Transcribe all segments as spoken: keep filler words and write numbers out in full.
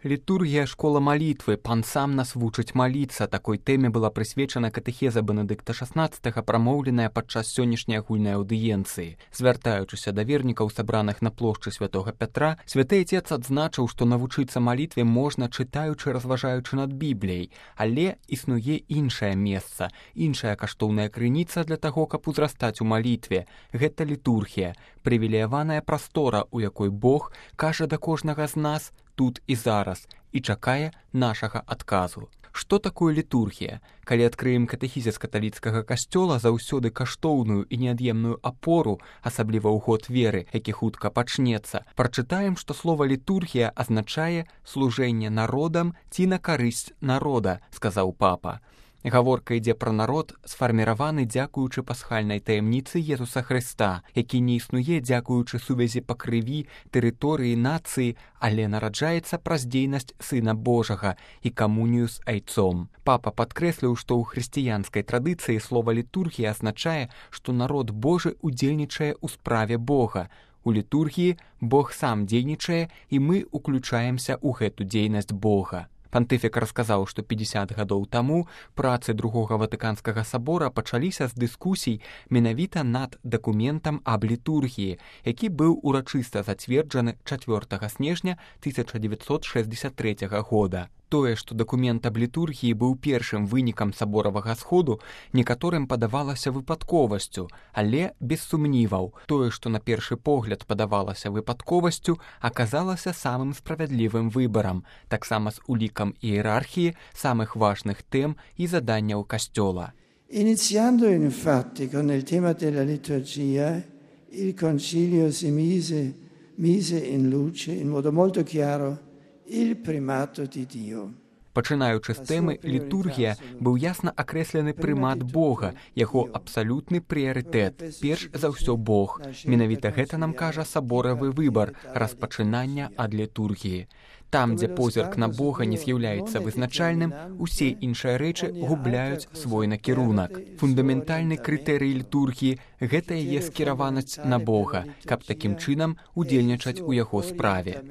Літургія школа малітвы. Пан сам нас вучыць маліцца. Такой тэме была прысвечана катэхеза Бенедыкта шаснаццатага, прамоўленая падчас сённяшняй агульнай аўдыенцыі. Звяртаючыся да вернікаў, сабраных на плошчы святога Пятра, святы Отец адзначыў, што навучыцца малітве можна, чытаючы, разважаючы над Бібліяй. Але існуе іншае месца, іншая каштоўная крыніца для таго, каб узрастаць у малітве. Гэта літургія, прывілеяваная прастора, у якой Бог кажа да кожнага з нас тут і зараз, і чакае нашага адказу. Што такое літургія? Калі адкрыем катэхізіс каталіцкага касцёла, заўсёды каштоўную і неад'емную апору, асабліва ў год веры, які хутка пачнецца, прачытаем, што слова літургія азначае служэнне народам ці на карысць народа, сказаў папа. Гаворка ідзе пра народ, сфарміраваны дзякуючы пасхальнай таямніцы Езуса Хрыста, які не існуе дзякуючы сувязі па крыві, тэрыторыі, нацыі, але нараджаецца праз дзейнасць Сына Божага і камунію з Айцом. Папа падкрэсліў, што ў хрысціянскай традыцыі слова літургія азначае, што народ Божы удзельнічае ў справе Бога. У літургіі Бог сам дзейнічае, і мы уключаемся ў гэту дзейнасць Бога. Пантыфік расказаў, што пятьдесят гадоў таму працы другога Ватыканскага сабора пачаліся з дыскусій менавіта над дакументам аб літургіі, які быў урачыста зацверджаны чацвёртага снежня тысяча дзевяцьсот шэсцьдзесят трэцяга года. Тое, што дакумент аб літургіі быў першым вынікам саборавага сходу, некаторым падавалася выпадковасцю, але без сумніваў. Тое, што на першы погляд падавалася выпадковасцю, аказалася самым справядлівым выбарам, таксама з улікам іерархіі самых важных тэм і заданняў касцёла. Iniziando infatti con il tema della liturgia, il Concilio si mise, mise in luce in modo molto chiaro il primato di Dio. Пачынаючы з тэмы, літургія быў ясна акрэслены прымат Бога, яго абсалютны прыярытэт. Перш за ўсё Бог. Менавіта гэта нам кажа саборавы выбар распачынання ад літургіі. Там, дзе позірк на Бога не з'яўляецца вызначальным, усе іншыя рэчы губляюць свой накірунак. Фундаментальны крытэрый літургіі – гэта яе скіраванасць на Бога, каб такім чынам удзельнічаць у яго справе.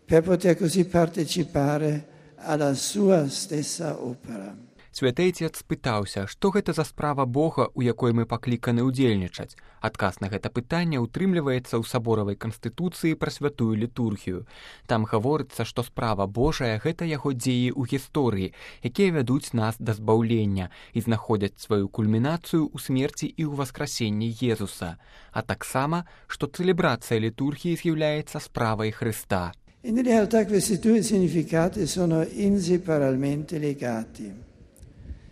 Per poter così partecipare alla sua stessa opera. Святы Отец спытаўся, што гэта за справа Бога, у якой мы пакліканы ўдзельнічаць. Адказ на гэта пытанне ўтрымліваецца ў саборавай канстытуцыі пра святую літургію. Там гаворыцца, што справа Божая – гэта яго дзеі ў гісторыі, якія вядуць нас да збаўлення і знаходзяць сваю кульмінацыю ў смерці і ў васкрасенні Езуса. А таксама, што цэлебрацыя літургіі з'яўляецца справай Хрыста. In realtà questi due significati sono inseparabilmente legati.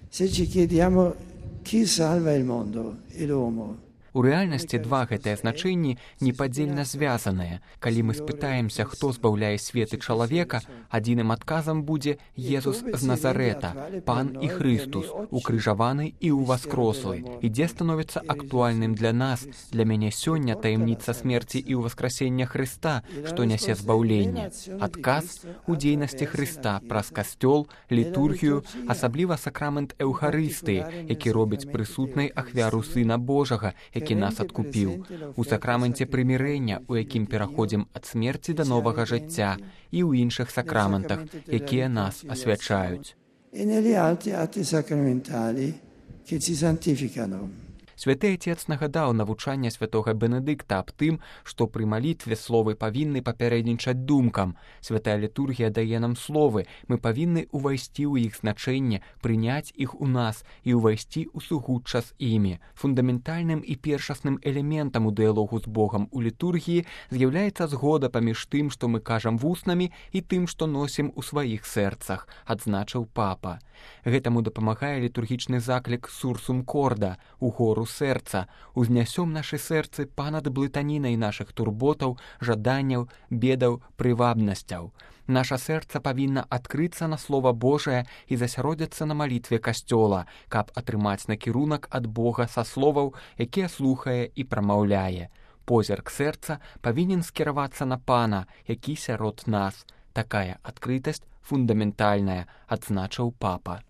Se ci chiediamo chi salva il mondo e l'uomo, У рэальнасці два гэтыя значэнні непадзельна звязаныя. Калі мы спытаемся, хто збаўляе свет і чалавека, адзіным адказам будзе Езус з Назарэта, Пан і Хрыстус, укрыжаваны і ўваскрослы. І дзе становіцца актуальным для нас, для мяне сёння таямніца смерці і ўваскрасення Хрыста, што нясе збаўленне. Адказ у дзейнасці Хрыста праз касцёл, літургію, асабліва сакрамент Эўхарыстыі, які робіць прысутнай ахвяру Сына Божага, які нас адкупіў, у сакраменце прымірэння, у якім пераходзім ад смерці да новага жыцця, і ў іншых сакраментах, якія нас асвячаюць. Святы Отец нагадаў навучанне святога Бенедыкта аб тым, што пры малітве словы павінны папярэднічаць думкам. Святая літургія дае нам словы, мы павінны ўвайсці ў іх значэнне, прыняць іх у нас і ўвайсці ў сугучча з імі. Фундаментальным і першасным элементам у дыялогу з Богам у літургіі з'яўляецца згода паміж тым, што мы кажам вуснамі, і тым, што носім у сваіх сэрцах, адзначыў папа. Гэтаму дапамагае літургічны заклік «Сурсум корда» у гору сэрца. Узнясём нашы сэрцы панад блытанінай нашых турботаў, жаданняў, бедаў, прывабнасцяў. Наша сэрца павінна адкрыцца на Слова Божае і засяродзіцца на малітве касцёла, каб атрымаць накірунак ад Бога са словаў, якія слухае і прамаўляе. Позірк сэрца павінен скіравацца на Пана, які сярод нас. Такая адкрытасць фундаментальная, адзначыў папа.